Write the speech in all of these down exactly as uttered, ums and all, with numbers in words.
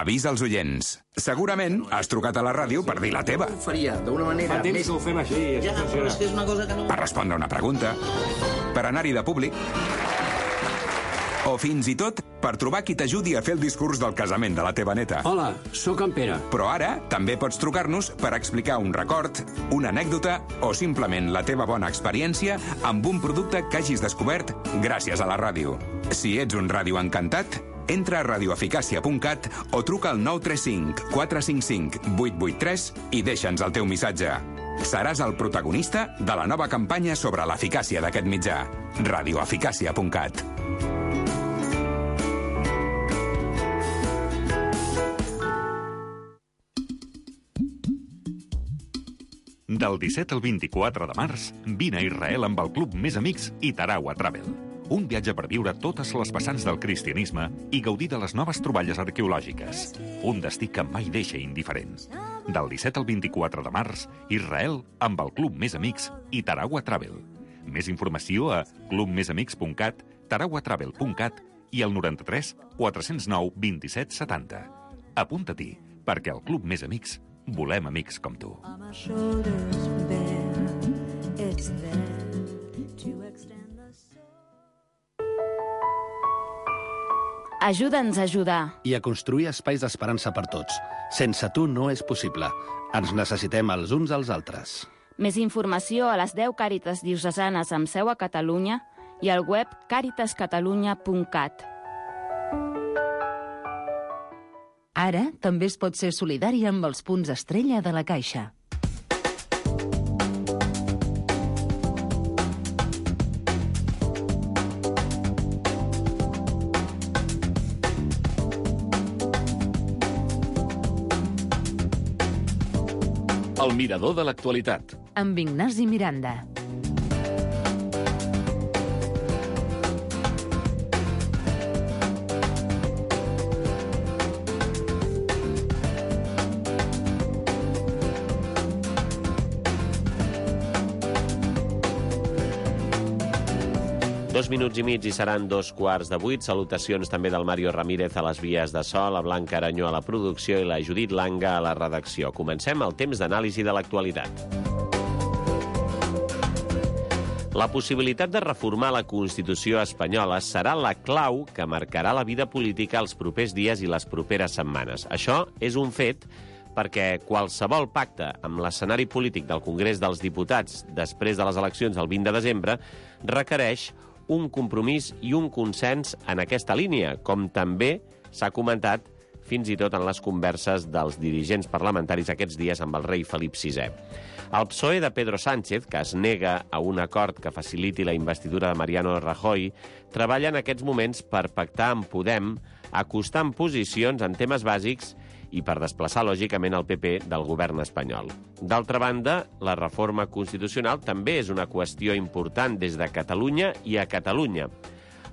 avisa als oients. Segurament has trucat a la ràdio per dir la teva. Ho faria d'una manera Fa temps més... que ho fem així. Ja, però és que és una cosa que no... Per respondre una pregunta, per anar-hi de públic, o fins i tot per trobar qui t'ajudi a fer el discurs del casament de la teva neta. Hola, sóc en Pere. Però ara també pots trucar-nos per explicar un record, una anècdota o simplement la teva bona experiència amb un producte que hagis descobert gràcies a la ràdio. Si ets un ràdio encantat, entra a radioeficàcia punt cat o truca al nou tres cinc quatre cinc cinc vuit vuit tres i deixa'ns el teu missatge. Seràs el protagonista de la nova campanya sobre l'eficàcia d'aquest mitjà. radioeficàcia punt cat. Del disset al vint-i-quatre de març, vine a Israel amb el Club Més Amics i Tarawa Travel. Un viatge per viure totes les vessants del cristianisme i gaudir de les noves troballes arqueològiques. Un destí que mai deixa indiferent. Del disset al vint-i-quatre de març, Israel amb el Club Més Amics i Tarawa Travel. Més informació a club més amics punt cat, tarawa travel punt cat i al noranta-tres quatre zero nou vint-i-set setanta. Apunta-t'hi, perquè al Club Més Amics volem amics com tu. Ajuda'ns a ajudar. I a construir espais d'esperança per tots. Sense tu no és possible. Ens necessitem els uns als altres. Més informació a les deu Càritas diocesanes amb seu a Catalunya i al web càritas catalunya punt cat. Ara també es pot ser solidari amb els punts estrella de la Caixa. El mirador de l'actualitat. Amb Ignasi Miranda. Dos minuts i mig i seran dos quarts de vuit. Salutacions també del Mario Ramírez a les vies de so, la Blanca Aranyó a la producció i la Judit Langa a la redacció. Comencem el temps d'anàlisi de l'actualitat. La possibilitat de reformar la Constitució espanyola serà la clau que marcarà la vida política els propers dies i les properes setmanes. Això és un fet perquè qualsevol pacte amb l'escenari polític del Congrés dels Diputats després de les eleccions del vint de desembre requereix un compromís i un consens en aquesta línia, com també s'ha comentat fins i tot en les converses dels dirigents parlamentaris aquests dies amb el rei Felip sisè. El P S O E de Pedro Sánchez, que es nega a un acord que faciliti la investidura de Mariano Rajoy, treballa en aquests moments per pactar amb Podem, acostant posicions en temes bàsics i per desplaçar, lògicament, el P P del govern espanyol. D'altra banda, la reforma constitucional també és una qüestió important des de Catalunya i a Catalunya.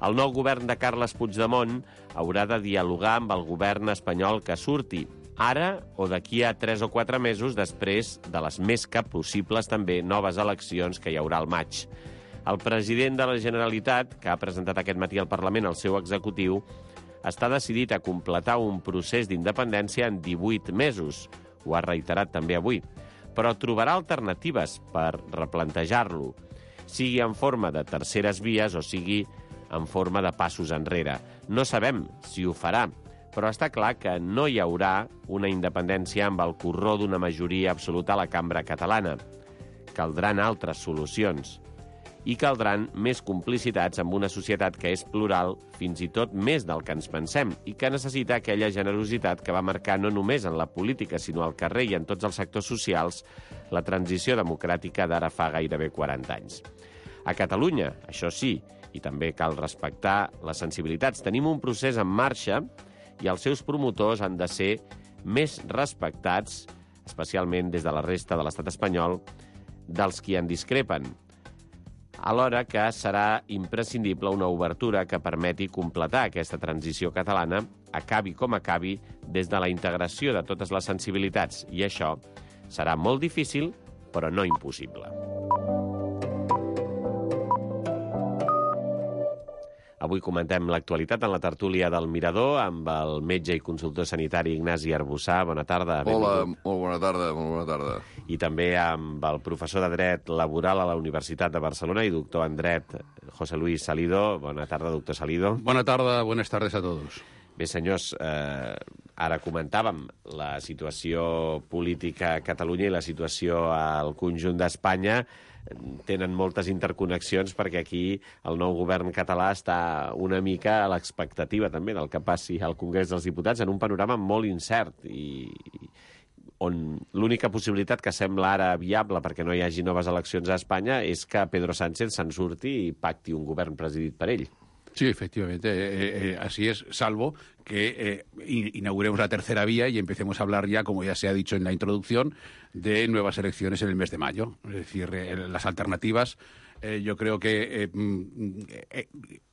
El nou govern de Carles Puigdemont haurà de dialogar amb el govern espanyol que surti, ara o d'aquí a tres o quatre mesos després de les més que possibles també noves eleccions que hi haurà al maig. El president de la Generalitat, que ha presentat aquest matí al Parlament el seu executiu, està decidit a completar un procés d'independència en divuit mesos. Ho ha reiterat també avui. Però trobarà alternatives per replantejar-lo, sigui en forma de terceres vies o sigui en forma de passos enrere. No sabem si ho farà, però està clar que no hi haurà una independència amb el corró d'una majoria absoluta a la cambra catalana. Caldran altres solucions. I caldran més complicitats amb una societat que és plural, fins i tot més del que ens pensem, i que necessita aquella generositat que va marcar no només en la política, sinó al carrer i en tots els sectors socials, la transició democràtica d'ara fa gairebé quaranta anys. A Catalunya, això sí, i també cal respectar les sensibilitats, tenim un procés en marxa i els seus promotors han de ser més respectats, especialment des de la resta de l'estat espanyol, dels qui en discrepen, alhora que serà imprescindible una obertura que permeti completar aquesta transició catalana, acabi com acabi, des de la integració de totes les sensibilitats. I això serà molt difícil, però no impossible. Avui comentem l'actualitat en la tertúlia del Mirador amb el metge i consultor sanitari Ignasi Arbussà. Bona tarda. Hola, molt bona tarda, molt bona tarda. I també amb el professor de Dret Laboral a la Universitat de Barcelona i doctor en Dret, José Luis Salido. Bona tarda, doctor Salido. Bona tarda, buenas tardes a todos. Bé, senyors, eh, ara comentàvem la situació política a Catalunya i la situació al conjunt d'Espanya. Tenen moltes interconnexions perquè aquí el nou govern català està una mica a l'expectativa també del que passi al Congrés dels Diputats en un panorama molt incert i on l'única possibilitat que sembla ara viable perquè no hi hagi noves eleccions a Espanya és que Pedro Sánchez se'n surti i pacti un govern presidit per ell. Sí, efectivamente, eh, eh, así es, salvo que eh, inauguremos la tercera vía y empecemos a hablar ya, como ya se ha dicho en la introducción, de nuevas elecciones en el mes de mayo. Es decir, eh, las alternativas, eh, yo creo que eh, eh,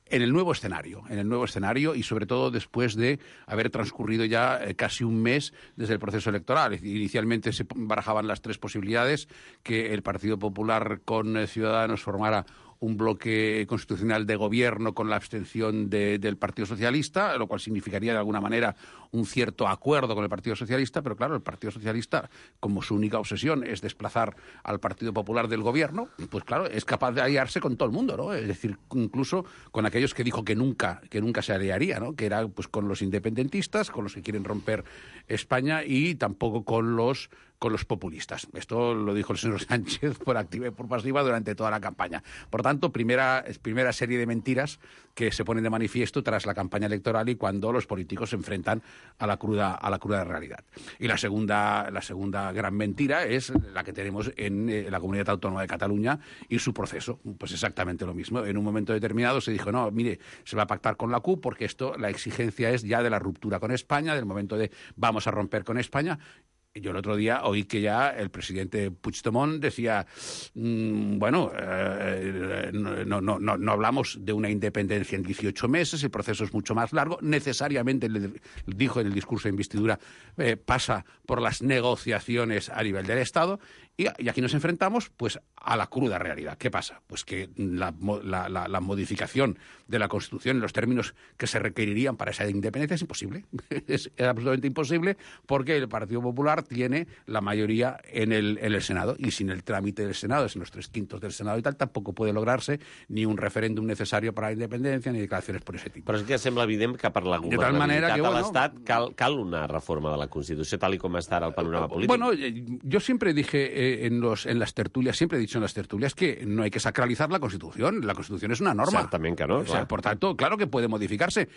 en el nuevo escenario, en el nuevo escenario y sobre todo después de haber transcurrido ya eh, casi un mes desde el proceso electoral. Es decir, inicialmente se barajaban las tres posibilidades, que el Partido Popular con eh, Ciudadanos formara un bloque constitucional de gobierno con la abstención de, del Partido Socialista, lo cual significaría de alguna manera un cierto acuerdo con el Partido Socialista, pero claro, el Partido Socialista, como su única obsesión es desplazar al Partido Popular del gobierno, pues claro, es capaz de aliarse con todo el mundo, ¿no? Es decir, incluso con aquellos que dijo que nunca, que nunca se aliaría, ¿no? Que era pues con los independentistas, con los que quieren romper España y tampoco con los con los populistas. Esto lo dijo el señor Sánchez por activa y por pasiva durante toda la campaña. Por tanto, primera, primera serie de mentiras que se ponen de manifiesto tras la campaña electoral y cuando los políticos se enfrentan a la cruda, a la cruda realidad. Y la segunda, la segunda gran mentira es la que tenemos en, en la Comunidad Autónoma de Cataluña y su proceso. Pues exactamente lo mismo. En un momento determinado se dijo, no, mire, se va a pactar con la C U P porque esto, la exigencia es ya de la ruptura con España, del momento de vamos a romper con España. Yo el otro día oí que ya el presidente Puigdemont decía, mmm, bueno, eh, no, no, no, no hablamos de una independencia en dieciocho meses, el proceso es mucho más largo, necesariamente, le dijo en el discurso de investidura, eh, pasa por las negociaciones a nivel del Estado, y, y aquí nos enfrentamos pues a la cruda realidad. ¿Qué pasa? Pues que la, la, la, la modificación de la Constitución en los términos que se requerirían para esa independencia es imposible, es, es absolutamente imposible porque el Partido Popular tiene la mayoría en el, en el Senado y sin el trámite del Senado, es en los tres quintos del Senado y tal, tampoco puede lograrse ni un referéndum necesario para la independencia ni declaraciones por ese tipo. Però és que sembla evident que per la governabilitat de l'Estat bueno, cal, cal una reforma de la Constitució tal i com està ara el panorama polític. Bueno, yo siempre dije eh, en, los, en las tertulias, siempre he dicho en las tertulias que no hay que sacralizar la Constitución, la Constitución es una norma. Exactamente que no. O sea, por tanto, claro que puede modificarse.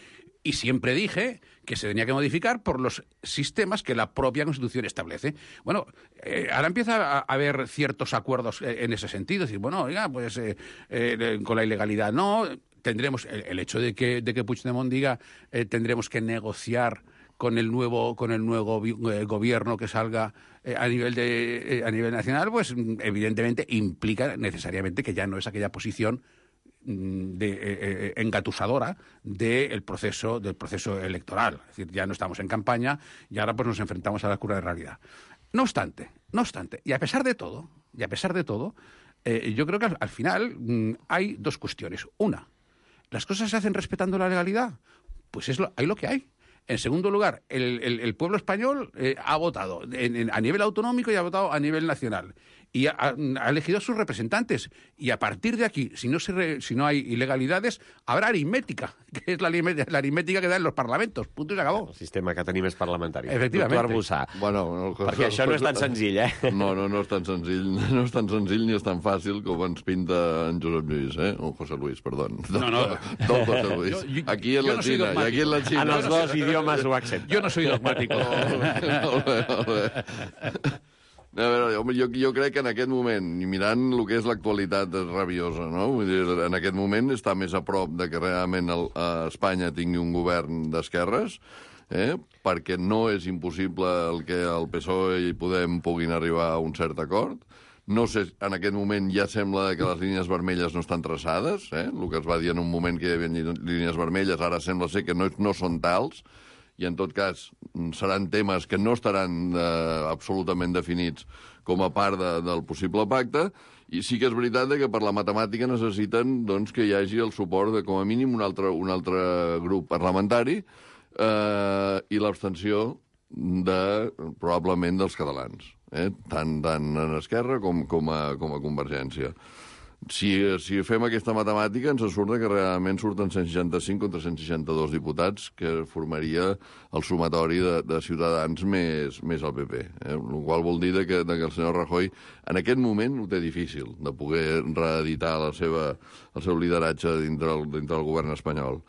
Y siempre dije que se tenía que modificar por los sistemas que la propia Constitución establece. Bueno, eh, ahora empieza a haber ciertos acuerdos en ese sentido. Es decir, bueno, oiga, pues eh, eh, con la ilegalidad no. Tendremos el, el hecho de que, de que Puigdemont diga eh, tendremos que negociar con el nuevo con el nuevo eh, gobierno que salga eh, a nivel de eh, a nivel nacional, pues evidentemente implica necesariamente que ya no es aquella posición de, eh, eh, engatusadora del proceso del proceso electoral. Es decir, ya no estamos en campaña y ahora pues nos enfrentamos a la cruda realidad. No obstante, no obstante, y a pesar de todo, y a pesar de todo, eh, yo creo que al, al final mmm, hay dos cuestiones. Una, ¿las cosas se hacen respetando la legalidad? Pues es lo, hay lo que hay. En segundo lugar, el, el, el pueblo español eh, ha votado en, en, a nivel autonómico y ha votado a nivel nacional. Y ha, ha elegido a sus representantes. Y a partir de aquí, si no, se re, si no hay ilegalidades, habrá aritmética, que es la, la aritmética que da en los parlamentos. Punto y se acabó. El sistema que tenim és parlamentari. Efectivament. Doctor Arbussà. Bueno, no, perquè això no és tan senzill, eh? No, no, no és tan senzill. No és tan senzill ni és tan fàcil com ens pinta en Josep Lluís, eh? O José Luis, perdó. No, no. Don José Luis. Yo, yo, aquí en la no Xina i aquí en la Xina. En els dos idiomes ho accepta. Jo no soy dogmático. Molt bé, molt bé. A veure, jo, jo crec que en aquest moment, i mirant el que és l'actualitat rabiosa, no? Vull dir, en aquest moment està més a prop de que realment el, a Espanya tingui un govern d'esquerres, eh? Perquè no és impossible el que el P S O E i Podem puguin arribar a un cert acord. No sé, en aquest moment ja sembla que les línies vermelles no estan traçades, eh? El que es va dir en un moment que hi havia línies vermelles, ara sembla ser que no, no són tals, i en tot cas seran temes que no estaran eh, absolutament definits com a part de, del possible pacte, I sí que és veritat que per la matemàtica necessiten doncs, que hi hagi el suport de, com a mínim, un altre, un altre grup parlamentari eh, i l'abstenció de, probablement dels catalans, eh? tant, tant en Esquerra com, com, a, com a Convergència. Si, si fem aquesta matemàtica, ens surt que realment surten cent seixanta-cinc contra cent seixanta-dos diputats, que formaria el sumatori de, de Ciutadans més, més el P P. Eh? El qual vol dir que, de que el senyor Rajoy en aquest moment ho té difícil, de poder reeditar la seva, el seu lideratge dintre el, dintre el govern espanyol.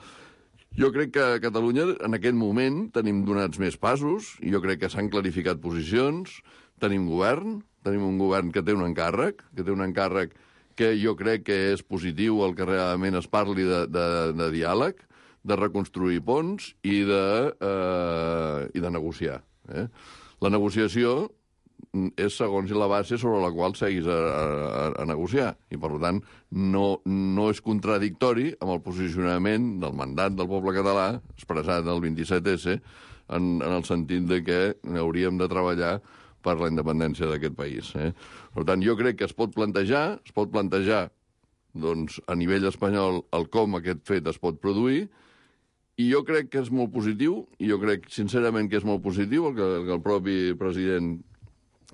Jo crec que a Catalunya, en aquest moment, tenim donats més passos, i jo crec que s'han clarificat posicions, tenim govern, tenim un govern que té un encàrrec, que té un encàrrec que jo crec que és positiu el que realment es parli de, de, de diàleg, de reconstruir ponts i de, eh, i de negociar. Eh? La negociació és segons la base sobre la qual seguis a, a, a negociar. I, per tant, no, no és contradictori amb el posicionament del mandat del poble català expressat el vint-i-set esse en, en el sentit de que hauríem de treballar per la independència d'aquest país. Eh? Per tant, jo crec que es pot plantejar, es pot plantejar doncs, a nivell espanyol el com aquest fet es pot produir, i jo crec que és molt positiu, i jo crec sincerament que és molt positiu el que, que el propi president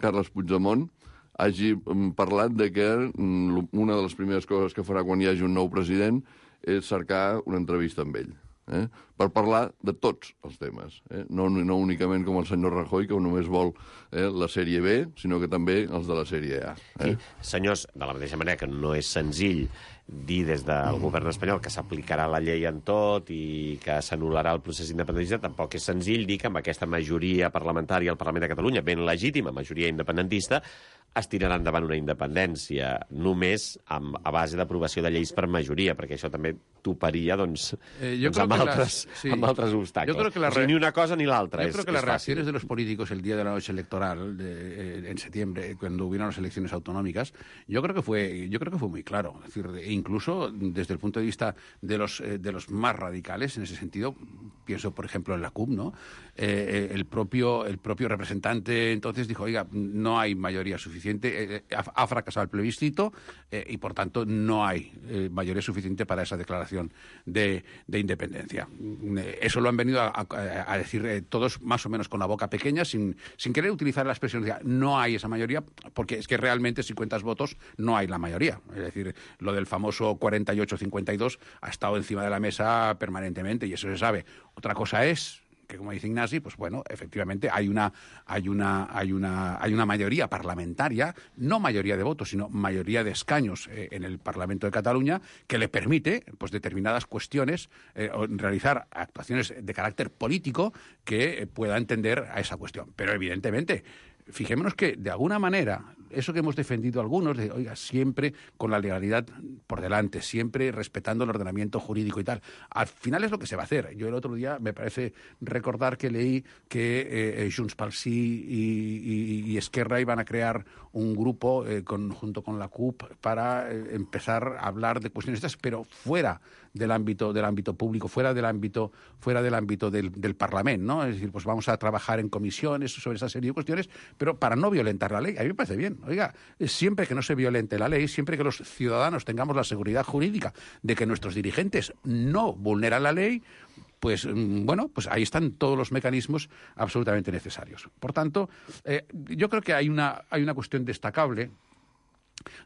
Carles Puigdemont hagi parlat de que una de les primeres coses que farà quan hi hagi un nou president és cercar una entrevista amb ell. Eh? Per parlar de tots els temes, eh? no, no únicament com el senyor Rajoy, que només vol eh, la sèrie B, sinó que també els de la sèrie A. Eh? Sí. Senyors, de la mateixa manera que no és senzill dir des del govern espanyol que s'aplicarà la llei en tot i que s'anul·larà el procés independentista, tampoc és senzill dir que amb aquesta majoria parlamentària al Parlament de Catalunya, ben legítima majoria independentista, es tirarà endavant una independència només amb, a base d'aprovació de lleis per majoria, perquè això també toparia doncs, eh, yo doncs amb, creo altres, las, sí. amb altres obstacles. Yo creo que la o sigui, ni una cosa ni l'altra. Yo es, creo que es las fácil. reacciones de los políticos el día de la noche electoral, de, eh, en septiembre, cuando hubieron las elecciones autonómicas, yo creo que fue, yo creo que fue muy claro. Es decir, incluso desde el punto de vista de los, eh, de los más radicales, en ese sentido, pienso, por ejemplo, en la C U P, ¿no? Eh, el, propio, el propio representante entonces dijo, oiga, no hay mayoría suficiente, eh, ha, ha fracasado el plebiscito eh, y, por tanto, no hay eh, mayoría suficiente para esa declaración de, de independencia. Eh, eso lo han venido a, a, a decir eh, todos más o menos con la boca pequeña, sin, sin querer utilizar la expresión de no hay esa mayoría, porque es que realmente si cuentas votos no hay la mayoría. Es decir, lo del famoso cuarenta y ocho cincuenta y dos ha estado encima de la mesa permanentemente y eso se sabe. Otra cosa es que, como dice Ignasi, pues bueno, efectivamente hay una, hay una, hay una, hay una mayoría parlamentaria, no mayoría de votos, sino mayoría de escaños eh, en el Parlamento de Cataluña, que le permite, pues, determinadas cuestiones, eh, realizar actuaciones de carácter político que eh, pueda entender a esa cuestión. Pero, evidentemente, fijémonos que, de alguna manera, eso que hemos defendido algunos, de, oiga, siempre con la legalidad por delante, siempre respetando el ordenamiento jurídico y tal, al final es lo que se va a hacer. Yo el otro día me parece recordar que leí que eh, Junts pel Sí y, y, y Esquerra iban a crear un grupo eh, con, junto con la C U P para eh, empezar a hablar de cuestiones estas, pero fuera del ámbito del ámbito público, fuera del ámbito fuera del ámbito del, del Parlamento, ¿no? Es decir, pues vamos a trabajar en comisiones sobre esa serie de cuestiones, pero para no violentar la ley. A mí me parece bien. Oiga, siempre que no se violente la ley, siempre que los ciudadanos tengamos la seguridad jurídica de que nuestros dirigentes no vulneran la ley, pues bueno, pues ahí están todos los mecanismos absolutamente necesarios. Por tanto, eh, yo creo que hay una, hay una cuestión destacable,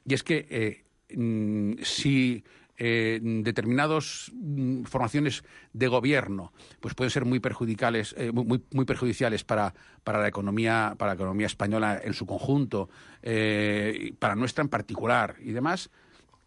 y es que eh, mm, si Eh, determinadas mm, formaciones de gobierno pues pueden ser muy perjudiciales, eh, muy, muy perjudiciales para, para la economía, para la economía española en su conjunto, eh, para nuestra en particular y demás.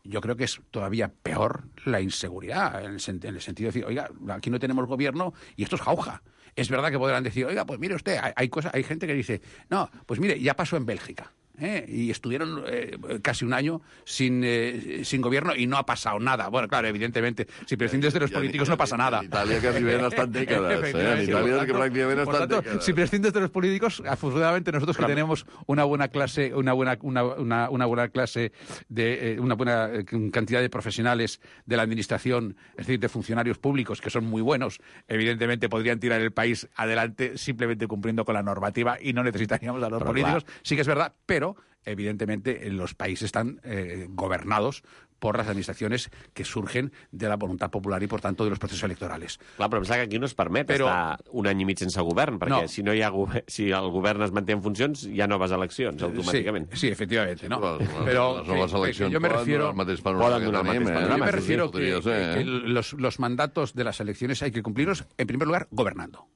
Yo creo que es todavía peor la inseguridad, en el, en el sentido de decir, oiga, aquí no tenemos gobierno y esto es jauja. Es verdad que podrán decir, oiga, pues mire usted, hay, hay, cosa, hay gente que dice, no, pues mire, ya pasó en Bélgica. ¿Eh? Y estuvieron eh, casi un año sin, eh, sin gobierno y no ha pasado nada. Bueno, claro, evidentemente, si prescindes de los ja, políticos ja, no pasa nada. En Italia que viven estan dècades, eh? En Italia que prácticamente por estan tanto, dècades. si prescindes de los políticos, afortunadamente nosotros que tenemos una buena clase, una buena, una, una, una buena clase de eh, una buena cantidad de profesionales de la administración, es decir, de funcionarios públicos que son muy buenos, evidentemente podrían tirar el país adelante simplemente cumpliendo con la normativa y no necesitaríamos a los Pero políticos. claro. Sí que es verdad, pero pero evidentemente los países están eh, gobernados por las administraciones que surgen de la voluntad popular i, per tant, de los procesos electorales. Clar, però em sembla que aquí no es permet Però... estar un any i mig sense govern, perquè no. si, no hi ha go... si el govern es manté en funcions, hi ha noves eleccions, automàticament. Sí, sí, efectivamente, ¿no? Pero, pero las nuevas que, elecciones que yo me poden refiero, donar el mateix panorama poden que donar el tenim, mateix eh? yo me sí, refiero sí, que, podria ser, que eh? los, los mandatos de las elecciones hay que cumplirlos, en primer lugar, gobernando.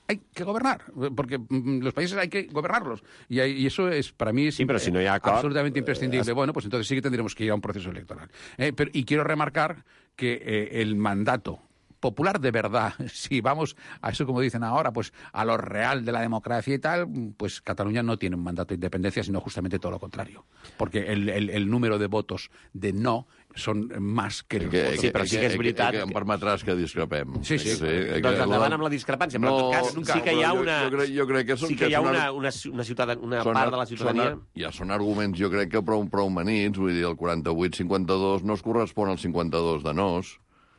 Hay que gobernar, porque mm, los países hay que gobernarlos. Y, hay, y eso es, para mí, es Sí, pero si no hi ha acord, absolutamente imprescindible. eh, Bueno, pues entonces sí que tendremos que ir a un proceso electoral. Eh, pero, y quiero remarcar que eh, el mandato popular de verdad, si vamos a eso como dicen ahora, pues a lo real de la democracia y tal, pues Cataluña no tiene un mandato de independencia, sino justamente todo lo contrario. Porque el, el, el número de votos de no son más que los Que, votos. Sí, però sí que és veritat Que, que em permetràs que discrepem. Sí, sí. que, Doncs endavant amb la discrepància, però en tot cas No, sí que hi ha jo- una... jo crec- jo crec que són- sí que que hi ha són una, ar- una, una, ciutadania, una Són- part de la ciutadania... Són, ja són arguments, jo crec que prou, prou manits, vull dir, el quaranta-vuit cinquanta-dos no es correspon al cinquanta-dos de nos,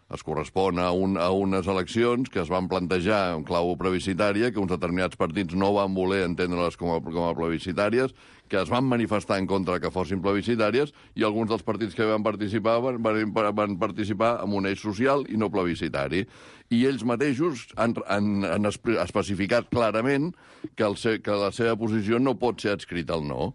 es correspon a, un, a unes eleccions que es van plantejar en clau plebiscitària, que uns determinats partits no van voler entendre-les com a, com a plebiscitàries, que es van manifestar en contra que fossin plebiscitàries, i alguns dels partits que van participar van, van, van participar amb un eix social i no plebiscitari. I ells mateixos han, han, han espe- especificat clarament que, el se, que la seva posició no pot ser adscrita al no.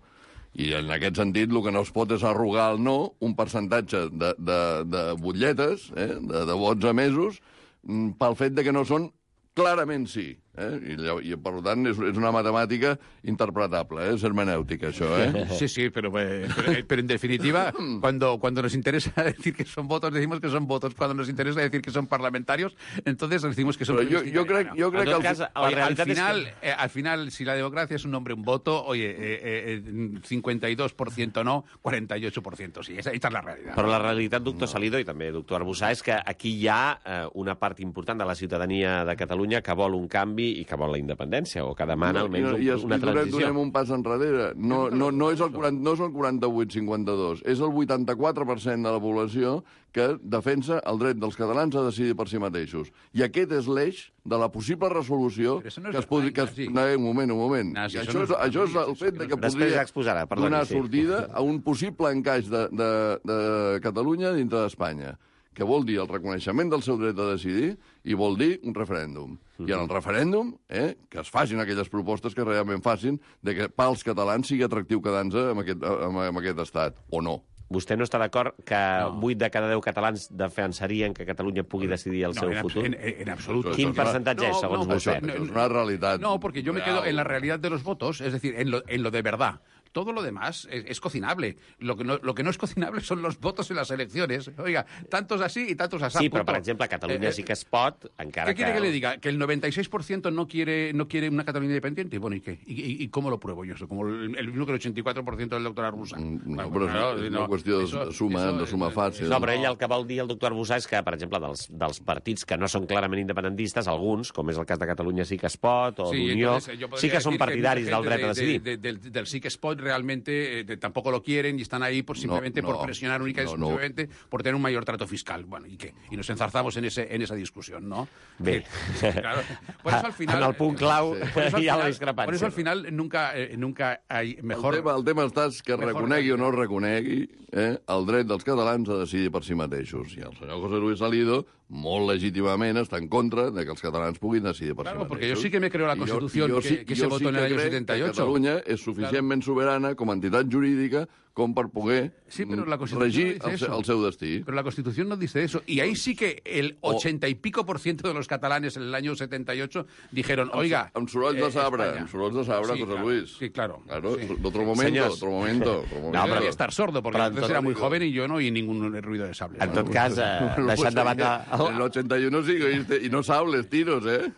I en aquest sentit el que no es pot és arrogar al no un percentatge de, de, de butlletes, eh, de, de vots emesos, mm, pel fet de que no són clarament sí. Eh? I, llavors, I, per tant, és, és una matemàtica interpretable, eh? és hermenèutica, això. Eh? Sí, sí, pero, eh, pero, pero en definitiva, cuando, cuando nos interesa decir que son votos, decimos que son votos. Cuando nos interesa decir que son parlamentarios, entonces decimos que son Però jo, plebiscitarios. jo crec, jo crec En tot que... cas, El, la Oye, al realitat és final, que... eh, al final, si la democracia es un nombre, un voto, oye, eh, eh, cincuenta y dos por ciento no, cuarenta y ocho por ciento sí. Esa, esta es la realidad. Però la realitat, doctor Salido, i també doctor Arbussà, és que aquí hi ha eh, una part important de la ciutadania de Catalunya que vol un canvi i que vol la independència, o que demana almenys I, i, un, una i donem, transició. donem un pas enrere. No, no, no, és el quaranta, no és el quaranta-vuit cinquanta-dos, és el vuitanta-quatre per cent de la població que defensa el dret dels catalans a decidir per si mateixos. I aquest és l'eix de la possible resolució Però això no és que es podria... Que es, sí. no, un moment, un moment. No, sí, I això això, no és, és- això és el fet de que Després podria ja exposarà, perdoni, donar sí. sortida a un possible encaix de, de, de Catalunya dintre d'Espanya, que vol dir el reconeixement del seu dret a decidir i vol dir un referèndum. I en el referèndum, eh, que es facin aquelles propostes que realment facin de que pels catalans sigui atractiu quedar-nos en, aquest, en, en aquest estat, o no. Vostè no està d'acord que No. vuit de cada deu catalans defensarien que Catalunya pugui decidir el No, seu en, futur? en, en absoluto. Això Quin és una- percentatge és, segons no, vostè? Això, això és una realitat. No, porque yo me real. quedo en la realidad de los votos, es decir, en lo, en lo de verdad. Todo lo demás es, es cocinable. Lo que, no, lo que no es cocinable son los votos en las elecciones. Oiga, tantos así y tantos así. Sí, però, per exemple, Catalunya Eh, sí que es pot, encara ¿Qué quiere que que... le diga? ¿Que el noventa y seis por ciento no quiere, no quiere una Cataluña independiente? Bueno, ¿y qué? ¿Y, y, y cómo lo pruebo yo eso? Como el, el mismo que el ochenta y cuatro por ciento del doctor Arbusa. Mm, No, Bueno, però claro, és no, una qüestió de eso- suma, eso- de suma fàcil. No, però ell el que vol dir el doctor Arbussà és que, per exemple, dels, dels partits que no són clarament independentistes, alguns, com és el cas de Catalunya sí que es pot, o Sí, d'Unió, entonces, yo podría sí que són decir partidaris mucha del gente dret a de- decidir. de- de- del, del sí que es pot realmente eh, de- tampoco lo quieren y están ahí por simplemente no, por presionar única y no, no. exclusivamente por tener un mayor trato fiscal. Bueno, ¿y qué? Y nos enzarzamos en ese en esa discusión, ¿no? Bé. Que- claro. Por eso al final En el punt clau por eso al hi ha la final- discrepància. Por eso al final nunca eh, nunca hay mejor El tema, el tema està és que Mejor reconegui o no realidad. reconegui eh, el dret dels catalans a decidir per si mateixos. I el senyor José Luis Salido, molt legítimament, està en contra de que els catalans puguin decidir per Claro, si mateixos. porque yo sí que me creo la I jo- Constitución jo que- sí- que jo se votó sí en el que año crec setenta y que ocho. Catalunya és suficientment soberana com a entitat jurídica com per poder Sí, pero la mm, Constitución regir no dice el, se- eso. el seu destí. Pero la Constitución no dice eso. Y ahí sí que el O- ochenta y pico por ciento de los catalanes en el año setenta y ocho dijeron, oiga... Amb sorolls de eh, sabre, España. amb sorolls de sabre, Sí, José claro, Luis. Sí, claro. Claro, sí. otro momento, Senyors. otro momento. Otro momento. No, però- pero estar sordo, porque però en entonces tot- era muy joven y yo no oí ningún ruido de sable. En ¿no? tot cas, eh, No, deixant de pues, banda... En el ochenta y uno sí que oíste, y no sables tiros, ¿eh?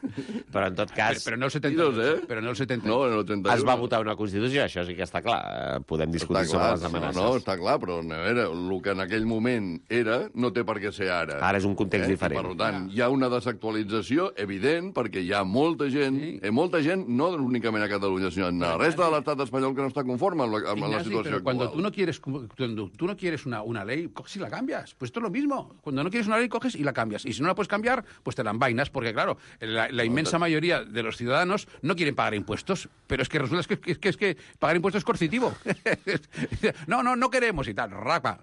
Però en tot Pero, cas, pero no el setenta y ocho. Tiros, eh? Pero no el setenta y No, ocho. en el ochenta y uno. es va votar una Constitució, això sí que està clar. Eh, Podem discutir Està sobre clar, les amenaces. no, no, està clar, però a veure, el que en aquell moment era no té per què ser ara. Ara és un context I, diferent. Per tant, hi ha una desactualització evident perquè hi ha molta gent, sí. eh, molta gent, no únicament a Catalunya, sinó en la resta de l'estat espanyol que no està conforme amb la, amb la Ignasi, situació pero cuando actual. tú no quieres cuando tú no quieres una, una ley, coges y la cambias. Pues esto es lo mismo. Cuando no quieres una ley, coges y la cambias. cambias. Y si no la puedes cambiar, pues te la envainas, porque claro, la, la inmensa mayoría de los ciudadanos no quieren pagar impuestos, pero es que resulta que, que, que, es que pagar impuestos es coercitivo. no, no, no queremos y tal, rapa,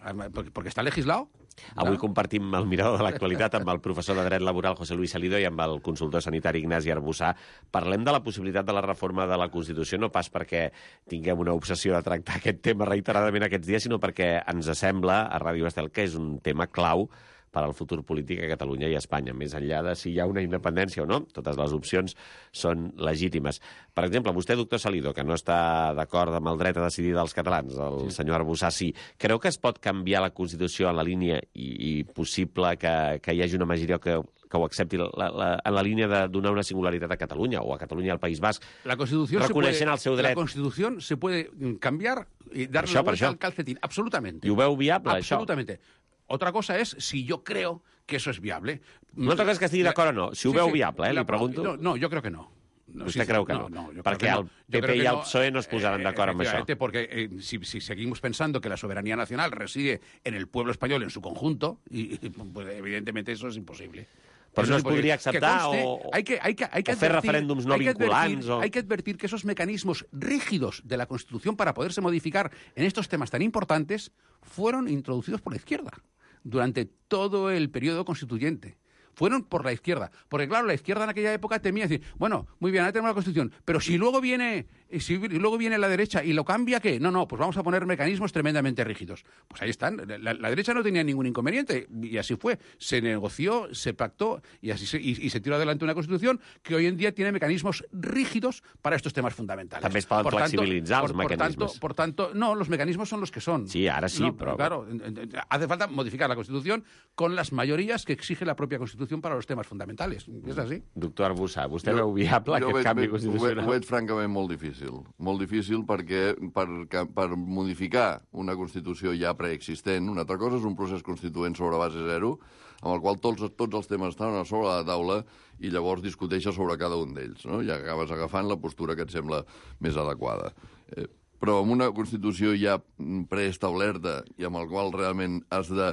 porque està legislado. Avui compartim el mirador de l'actualitat amb el professor de Dret Laboral José Luis Salido i amb el consultor sanitari Ignasi Arbussà. Parlem de la possibilitat de la reforma de la Constitució, no pas perquè tinguem una obsessió de tractar aquest tema reiteradament aquests dies, sinó perquè ens sembla a Ràdio Estel que és un tema clau per al futur polític a Catalunya i a Espanya. Més enllà de si hi ha una independència o no, totes les opcions són legítimes. Per exemple, vostè, doctor Salido, que no està d'acord amb el dret a decidir dels catalans, el sí. senyor Arbussà sí, creu que es pot canviar la Constitució en la línia i, i possible que, que hi hagi una majoria que, que ho accepti la, la, en la línia de donar una singularitat a Catalunya o a Catalunya al País Basc, la Constitución reconeixent puede, el seu dret? La Constitución se puede cambiar y darle això, la vuelta al calcetín. Absolutamente. I ho veu viable, Absolutamente. això? Otra cosa es si yo creo que eso es viable. No toca que estigui d'acord o no. Si ho sí, veu sí, viable, eh, la, li pregunto. No, no, yo creo que no. No, Vostè sí, creu que no? no? no, no Perquè el P P i el P S O E no es posaran eh, d'acord amb això. Porque eh, si, si seguimos pensando que la soberanía nacional reside en el pueblo español en su conjunto, y, y pues, evidentemente eso es imposible. Però no es imposible. podria acceptar conste, o, hay que, hay que, hay que o fer advertir, referèndums no hay que vinculants. Advertir, o... Hay que advertir que esos mecanismos rígidos de la Constitución para poderse modificar en estos temas tan importantes fueron introducidos por la izquierda durante todo el periodo constituyente. Fueron por la izquierda. Porque, claro, la izquierda en aquella época temía decir, bueno, muy bien, ahora tenemos la Constitución, pero si luego viene si luego viene la derecha y lo cambia, ¿qué? No, no, pues vamos a poner mecanismos tremendamente rígidos. Pues ahí están. La, la derecha no tenía ningún inconveniente y así fue. Se negoció, se pactó y así se, y, y se tiró adelante una Constitución que hoy en día tiene mecanismos rígidos para estos temas fundamentales. També es poden por flexibilitzar tanto, els por, mecanismes. Por tanto, por tanto, no, los mecanismos son los que son. Sí, ahora sí, no, pero... Claro, hace falta modificar la Constitución con las mayorías que exige la propia Constitución para los temas fundamentales. És així. Doctor Arbussà, vostè veu viable jo aquest veig, canvi veig, constitucional? Ho veig francament molt difícil. Molt difícil perquè per, per modificar una Constitució ja preexistent, una altra cosa és un procés constituent sobre base zero, amb el qual tots, tots els temes estan a sobre la taula i llavors discuteixes sobre cada un d'ells, no? I acabes agafant la postura que et sembla més adequada. Eh, però amb una Constitució ja preestablerta i amb el qual realment has de,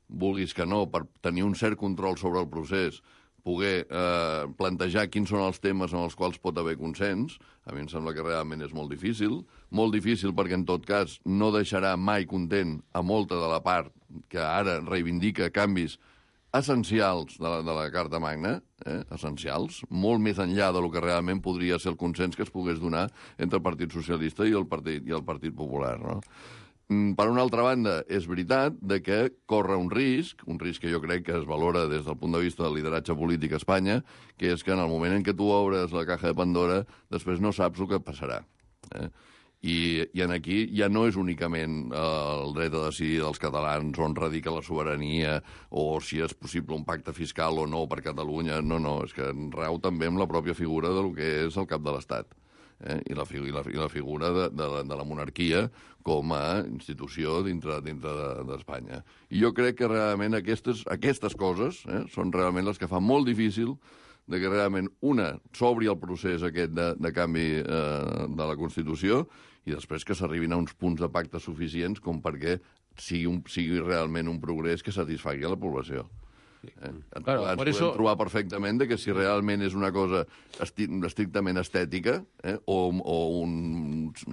vulguis que no, per tenir un cert control sobre el procés, poder eh, plantejar quins són els temes en els quals pot haver consens, a mi em sembla que realment és molt difícil. Molt difícil perquè, en tot cas, no deixarà mai content a molta de la part que ara reivindica canvis essencials de la, de la Carta Magna, eh, essencials, molt més enllà del que realment podria ser el consens que es pogués donar entre el Partit Socialista i el Partit, i el Partit Popular, no? Per una altra banda, és veritat de que corre un risc, un risc que jo crec que es valora des del punt de vista del lideratge polític a Espanya, que és que en el moment en què tu obres la caja de Pandora, després no saps el que passarà. Eh? I, I en aquí ja no és únicament eh, el dret a decidir dels catalans on radica la sobirania o si és possible un pacte fiscal o no per Catalunya. No, no, és que rau també amb la pròpia figura del que és el cap de l'Estat. Eh? I, la, i, la, i la figura de, de, la, de la monarquia com a institució dintre d'Espanya. De, I jo crec que realment aquestes, aquestes coses eh, són realment les que fan molt difícil de que realment, una, s'obri el procés aquest de, de canvi eh, de la Constitució i després que s'arribin a uns punts de pacte suficients com perquè sigui, un, sigui realment un progrés que satisfagui a la població. Eh? Claro, ens podem eso... trobar perfectament de que si realment és una cosa esti estrictament estètica eh? o, o uns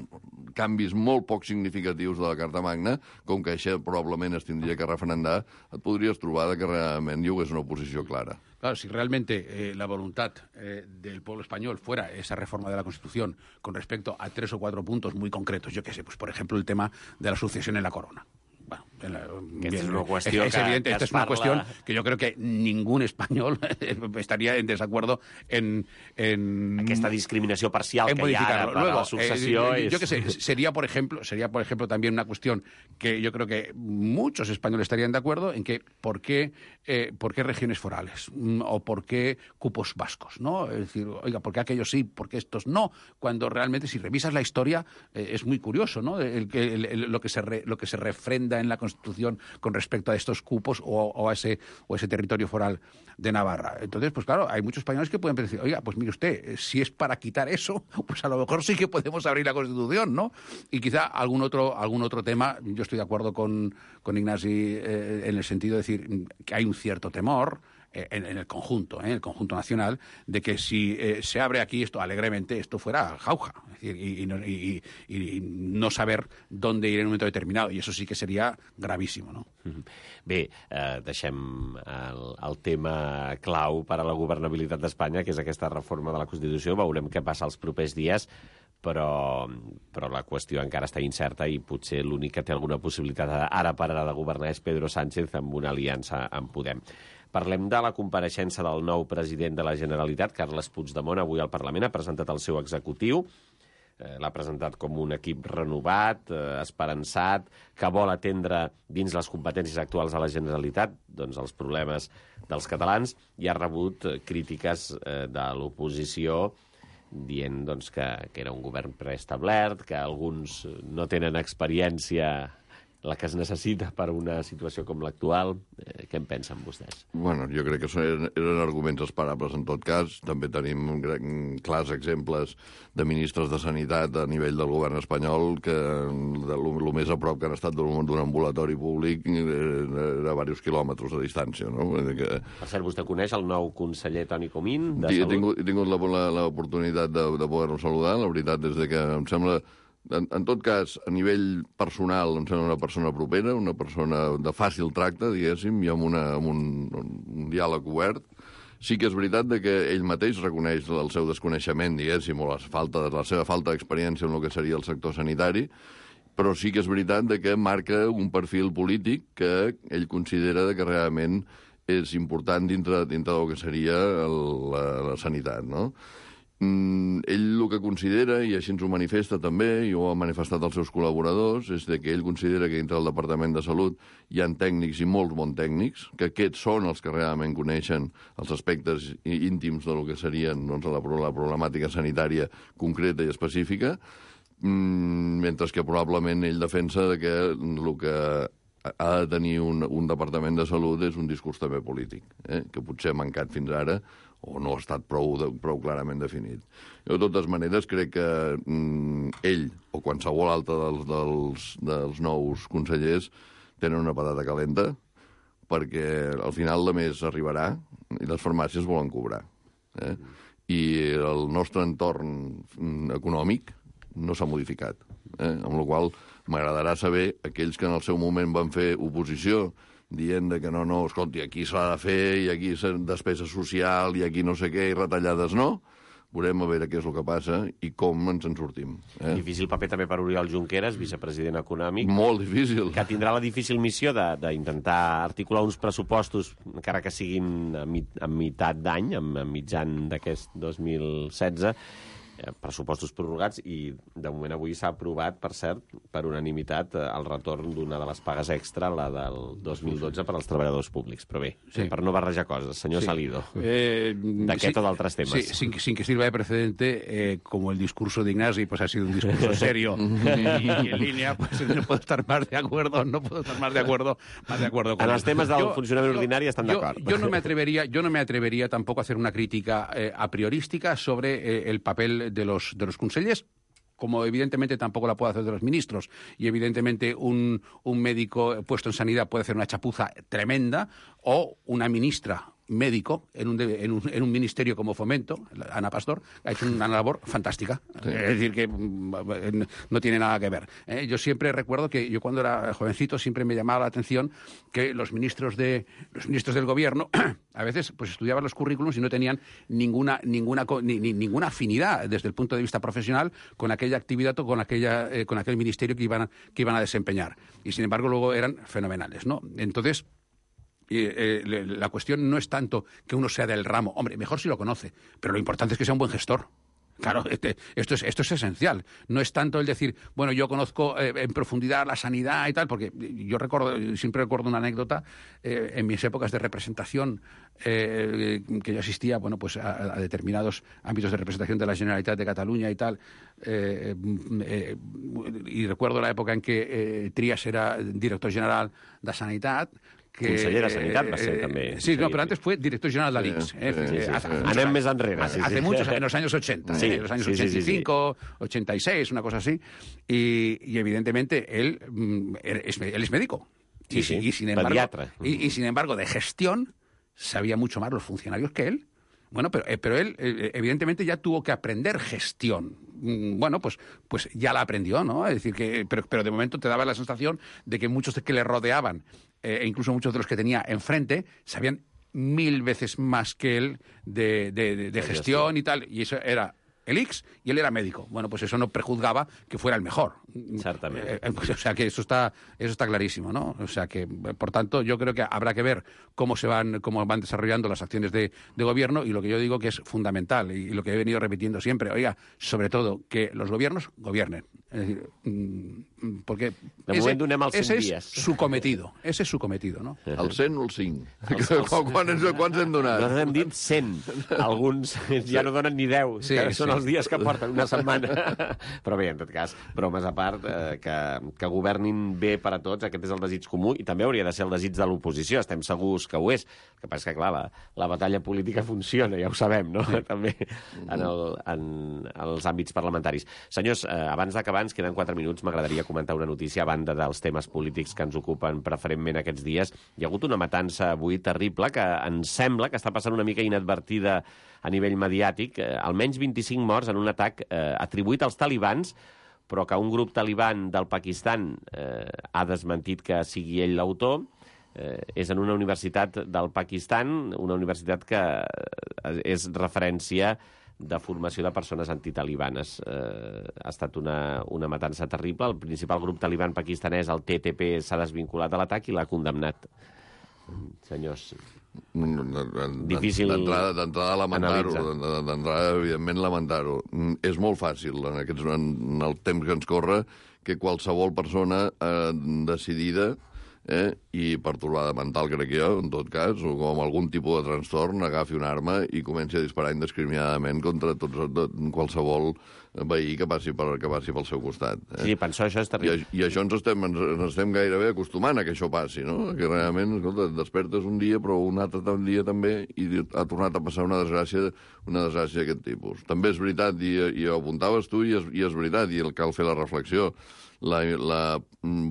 canvis molt poc significatius de la Carta Magna, com que això probablement es tindria que referendar, et podries trobar de que realment hi hagués una oposició clara. Claro, si realmente eh, la voluntad eh, del pueblo español fuera esa reforma de la Constitución con respecto a tres o cuatro puntos muy concretos, yo qué sé, pues por ejemplo el tema de la sucesión en la corona. Bueno, la, bien, es una cuestión es, es evidente, que, esta que es una parla... cuestión que yo creo que ningún español estaría en desacuerdo en... en Aquesta discriminació parcial en que hi ha ara per Luego, la successió... Eh, és... Yo qué sé, sería por, ejemplo, sería, por ejemplo, también una cuestión que yo creo que muchos españoles estarían de acuerdo en que por qué, eh, por qué regiones forales o por qué cupos vascos, ¿no? Es decir, oiga, ¿por qué aquellos sí, por qué estos no? Cuando realmente, si revisas la historia, eh, es muy curioso, ¿no? El, el, el, lo, que se re, lo que se refrenda en la Constitución con respecto a estos cupos o, o, a ese, o ese territorio foral de Navarra. Entonces, pues claro, hay muchos españoles que pueden decir, oiga, pues mire usted, si es para quitar eso, pues a lo mejor sí que podemos abrir la Constitución, ¿no? Y quizá algún otro, algún otro tema, yo estoy de acuerdo con, con Ignasi eh, en el sentido de decir que hay un cierto temor en, en el conjunto, ¿eh? en el conjunto nacional, de que si eh, se abre aquí esto alegremente, esto fuera jauja. Es decir, y, y, no, y, y no saber dónde ir en un momento determinado. Y eso sí que sería gravísimo, no? Bé, eh, deixem el, el tema clau per a la governabilitat d'Espanya, que és aquesta reforma de la Constitució. Veurem què passa els propers dies, però, però la qüestió encara està incerta i potser l'únic que té alguna possibilitat ara per ara de governar és Pedro Sánchez amb una aliança amb Podem. Parlem de la compareixença del nou president de la Generalitat, Carles Puigdemont, avui al Parlament. Ha presentat el seu executiu. L'ha presentat com un equip renovat, eh, esperançat, que vol atendre dins les competències actuals de la Generalitat doncs, els problemes dels catalans, i ha rebut eh, crítiques eh, de l'oposició dient doncs, que, que era un govern preestablert, que alguns no tenen experiència la que es necessita per una situació com l'actual. Eh, què en pensen vostès? Bueno, jo crec que eren, eren arguments esperables en tot cas. També tenim clars exemples de ministres de Sanitat a nivell del govern espanyol que el més a prop que han estat d'un ambulatori públic era a diversos quilòmetres de distància. No? Que... Per cert, vostè coneix el nou conseller Toni Comín de He Salut? tingut, he tingut l'oportunitat de, de poder-lo saludar. La veritat és que em sembla... En, en tot cas, a nivell personal, em sembla una persona propera, una persona de fàcil tracte, diguéssim, i amb, una, amb un, un diàleg obert. Sí que és veritat de que ell mateix reconeix el seu desconeixement, diguéssim, o la, falta, la seva falta d'experiència en el que seria el sector sanitari, però sí que és veritat de que marca un perfil polític que ell considera de que realment és important dintre, dintre del que seria el, la, la sanitat, no? Mm, ell el que considera, i així ens ho manifesta també, i ho ha manifestat als seus col·laboradors, és de que ell considera que dintre del Departament de Salut hi ha tècnics i molts bons tècnics, que aquests són els que realment coneixen els aspectes íntims del que serien doncs, la, la problemàtica sanitària concreta i específica, mm, mentre que probablement ell defensa de que el que ha de tenir un, un Departament de Salut és un discurs també polític, eh? que potser ha mancat fins ara o no ha estat prou, de, prou clarament definit. Jo, de totes maneres, crec que mm, ell o qualsevol altre dels, dels, dels nous consellers tenen una patata calenta perquè al final de mes arribarà i les farmàcies volen cobrar. Eh? I el nostre entorn econòmic no s'ha modificat. Eh? Amb la qual cosa m'agradarà saber aquells que en el seu moment van fer oposició dient de que no, no, escolti, aquí s'ha de fer i aquí és despesa social i aquí no sé què i retallades no. Veurem a veure què és el que passa i com ens en sortim. Eh? Difícil paper també per Oriol Junqueras, vicepresident econòmic. Molt difícil. Que tindrà la difícil missió d'intentar articular uns pressupostos, encara que siguin a, mit, a meitat d'any, a mitjan d'aquest dos mil setze, eh, pressupostos prorrogats, i de moment avui s'ha aprovat, per cert, per unanimitat, eh, el retorn d'una de les pagues extra, la del dos mil dotze, per als treballadors públics. Però bé, sí. per no barrejar coses, senyor sí. Salido, eh, d'aquest sí, o d'altres temes. Sí, sin, sin que sirva de precedente, eh, como el discurso de Ignasi pues, ha sido un discurso serio y, y en línea, pues no puedo estar más de acuerdo, no puedo estar más de acuerdo, más de acuerdo con en él. els temes del yo, funcionament yo, ordinari estan d'acord. Yo no me atrevería, yo no me atrevería tampoco a hacer una crítica eh, a priorística sobre eh, el papel de los, de los consellers, como evidentemente tampoco la puede hacer de los ministros, y evidentemente un, un médico puesto en sanidad puede hacer una chapuza tremenda, o una ministra médico en un, en, un, en un ministerio como Fomento, Ana Pastor, ha hecho una labor fantástica. Sí. Es decir, que no tiene nada que ver. ¿eh? Yo siempre recuerdo que yo cuando era jovencito siempre me llamaba la atención que los ministros de los ministros del gobierno a veces pues estudiaban los currículums y no tenían ninguna ninguna ni, ni, ninguna afinidad desde el punto de vista profesional con aquella actividad o con aquella eh, con aquel ministerio que iban a, que iban a desempeñar. Y sin embargo luego eran fenomenales, ¿no? Entonces, Y, eh, la cuestión no es tanto que uno sea del ramo. Hombre, mejor si lo conoce, pero lo importante es que sea un buen gestor. Claro, este, esto, es, esto es esencial. No es tanto el decir, bueno, yo conozco eh, en profundidad la sanidad y tal, porque yo recuerdo, siempre recuerdo una anécdota eh, en mis épocas de representación, eh, que yo asistía, bueno, pues a, a determinados ámbitos de representación de la Generalitat de Cataluña y tal, eh, eh, y recuerdo la época en que eh, Trias era director general de Sanitat, que, conseller de Sanitat va ser, eh, també. Sí, no, pero antes fue director general de l'I X. Sí, eh, sí, sí, hace, sí. hace Anem més enrere. Hace, sí, sí. hace muchos, en los años ochenta, sí, en los años sí, ochenta y cinco, sí, sí, sí. ochenta y seis, una cosa así. Y, y evidentemente él, él, es, él es médico. Sí, y, sí, y, sin embargo, pediatra. Y, y sin embargo, de gestión sabía mucho más los funcionarios que él. Bueno, pero, eh, pero él, eh, evidentemente, ya tuvo que aprender gestión. Mm, bueno, pues, pues ya la aprendió, ¿no? Es decir, que, pero, pero de momento te daba la sensación de que muchos de que le rodeaban, eh, e incluso muchos de los que tenía enfrente, sabían mil veces más que él de, de, de, de gestión y tal. Y eso era el X y él era médico. Bueno, pues eso no prejuzgaba que fuera el mejor. Exactamente. Eh, pues, o sea que eso está, eso está clarísimo, ¿no? O sea que, por tanto, yo creo que habrá que ver cómo se van, cómo van desarrollando las acciones de, de gobierno, y lo que yo digo que es fundamental, y, y lo que he venido repitiendo siempre, oiga, sobre todo, que los gobiernos gobiernen. Es decir, porque de ese, moment donem els ese cent es su cometido, ese es su cometido, no? El cent o el cinc? Els, els... Quants, quants hem donat? Nosaltres hem dit cent. Alguns ja no donen ni deu, sí, que són sí. els dies que porten una setmana. Però bé, en tot cas, bromes a part, eh, que, que governin bé per a tots, aquest és el desig comú, i també hauria de ser el desig de l'oposició, estem segurs que ho és. El que passa és que, clar, la, la batalla política funciona, ja ho sabem, no? També en, el, en els àmbits parlamentaris. Senyors, eh, abans d'acabar, ens queden quatre minuts, m'agradaria comentar una notícia a banda dels temes polítics que ens ocupen preferentment aquests dies. Hi ha hagut una matança avui terrible que ens sembla que està passant una mica inadvertida a nivell mediàtic. Eh, almenys vint-i-cinc morts en un atac eh, atribuït als talibans, però que un grup taliban del Pakistan eh, ha desmentit que sigui ell l'autor. Eh, és en una universitat del Pakistan, una universitat que és referència de formació de persones antitalibanes. Eh, ha estat una, una matança terrible. El principal grup taliban pakistanès, el T T P, s'ha desvinculat de l'atac i l'ha condemnat. Senyors, difícil d'entrada lamentar-ho, d'entrada evidentment lamentar-ho. És molt fàcil en, aquests, en el temps que ens corre que qualsevol persona eh, decidida eh, i pertorbada mental, crec jo, en tot cas, o com algun tipus de trastorn, agafi una arma i comenci a disparar indiscriminadament contra tots, qualsevol veí que passi, per, que passi pel seu costat. Eh? Sí, penso, això és terrible. I, I això ens estem, ens, ens estem gairebé acostumant a que això passi, no? Que realment, escolta, et despertes un dia, però un altre dia també, i ha tornat a passar una desgràcia, una desgràcia d'aquest tipus. També és veritat, i, i ho apuntaves tu, i és, i és veritat, i cal fer la reflexió. La, la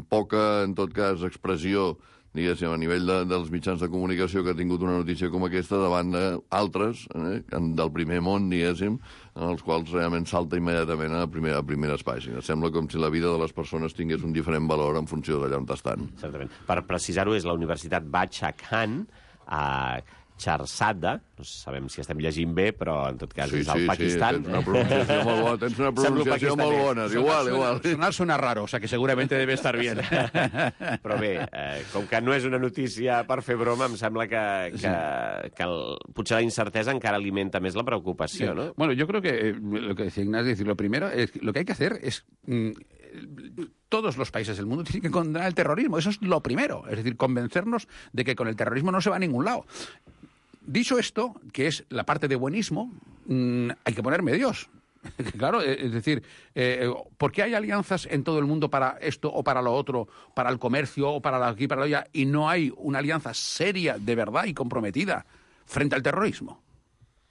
poca, en tot cas, expressió, diguéssim, a nivell de, dels mitjans de comunicació que ha tingut una notícia com aquesta davant d'altres, eh, del primer món, diguéssim, en els quals realment salta immediatament a, primer, a primeres pàgines. Sembla com si la vida de les persones tingués un diferent valor en funció d'allà on estan. Certament. Per precisar-ho, és la Universitat Bachar Khan, a Charsada, no sabem si estem llegint bé, però en tot cas sí, és al sí, Pakistan. Sí, tens una pronunciació molt bona, tens una pronunciació molt bona, igual, igual. Sonar suena raro, o sea que seguramente debe estar bien. Però bé, eh, com que no és una notícia per fer broma, em sembla que, que, que el, potser la incertesa encara alimenta més la preocupació, sí. ¿no? Bueno, yo creo que eh, lo que decía Ignacio, es decir, lo primero, es, lo que hay que hacer es... Mm, todos los países del mundo tienen que condenar el terrorismo. Eso es lo primero. Es decir, convencernos de que con el terrorismo no se va a ningún lado. Dicho esto, que es la parte de buenismo, mmm, hay que poner medios. Claro, es decir, eh, ¿por qué hay alianzas en todo el mundo para esto o para lo otro, para el comercio o para la aquí, para allá, y no hay una alianza seria, de verdad y comprometida frente al terrorismo?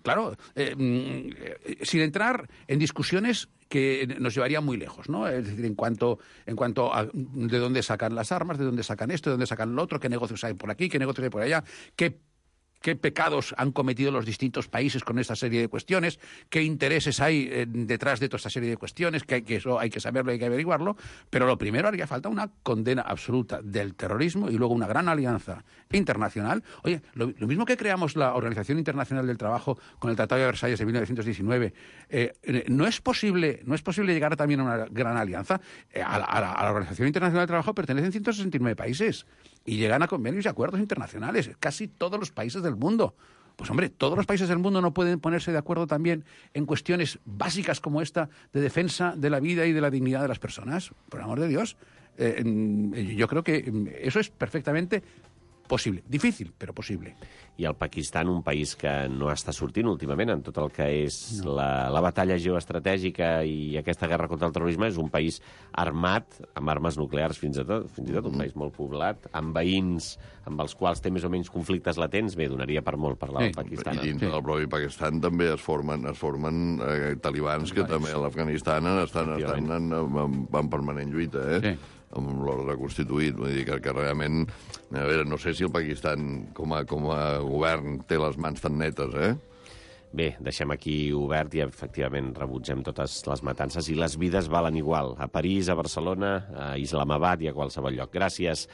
Claro, eh, eh, sin entrar en discusiones que nos llevarían muy lejos, ¿no? Es decir, en cuanto, en cuanto a de dónde sacan las armas, de dónde sacan esto, de dónde sacan lo otro, qué negocios hay por aquí, qué negocios hay por allá, qué qué pecados han cometido los distintos países con esta serie de cuestiones, qué intereses hay eh, detrás de toda esta serie de cuestiones, que, hay, que eso hay que saberlo, hay que averiguarlo, pero lo primero haría falta una condena absoluta del terrorismo y luego una gran alianza internacional. Oye, lo, lo mismo que creamos la Organización Internacional del Trabajo con el Tratado de Versalles de mil novecientos diecinueve, eh, no es posible, no es posible llegar también a una gran alianza. Eh, a, la, a, la, a la Organización Internacional del Trabajo pertenecen ciento sesenta y nueve países y llegan a convenios y acuerdos internacionales, casi todos los países del mundo. Pues hombre, todos los países del mundo no pueden ponerse de acuerdo también en cuestiones básicas como esta de defensa de la vida y de la dignidad de las personas. Por amor de Dios, eh, yo creo que eso es perfectamente possible. Difícil, però possible. I el Pakistan, un país que no està sortint últimament en tot el que és no. la, la batalla geoestratègica i aquesta guerra contra el terrorisme, és un país armat, amb armes nuclears fins, a tot, fins i tot, un país molt poblat, amb veïns amb els quals té més o menys conflictes latents. Bé, donaria per molt parlar del sí. Pakistan. I dins sí. del propi Pakistan també es formen, es formen eh, talibans que també a l'Afganistan estan, estan en, en, en permanent lluita, eh? Sí. amb l'ordre constituït. Vull dir que, que realment, a veure, no sé si el Pakistan com a, com a govern té les mans tan netes, eh? Bé, deixem aquí obert i efectivament rebutgem totes les matances i les vides valen igual. A París, a Barcelona, a Islamabad i a qualsevol lloc. Gràcies,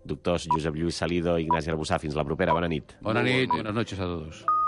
doctors Josep Lluís Salido i Ignasi Arbussà. Fins la propera. Bona nit. Bona nit, buenas noches a todos.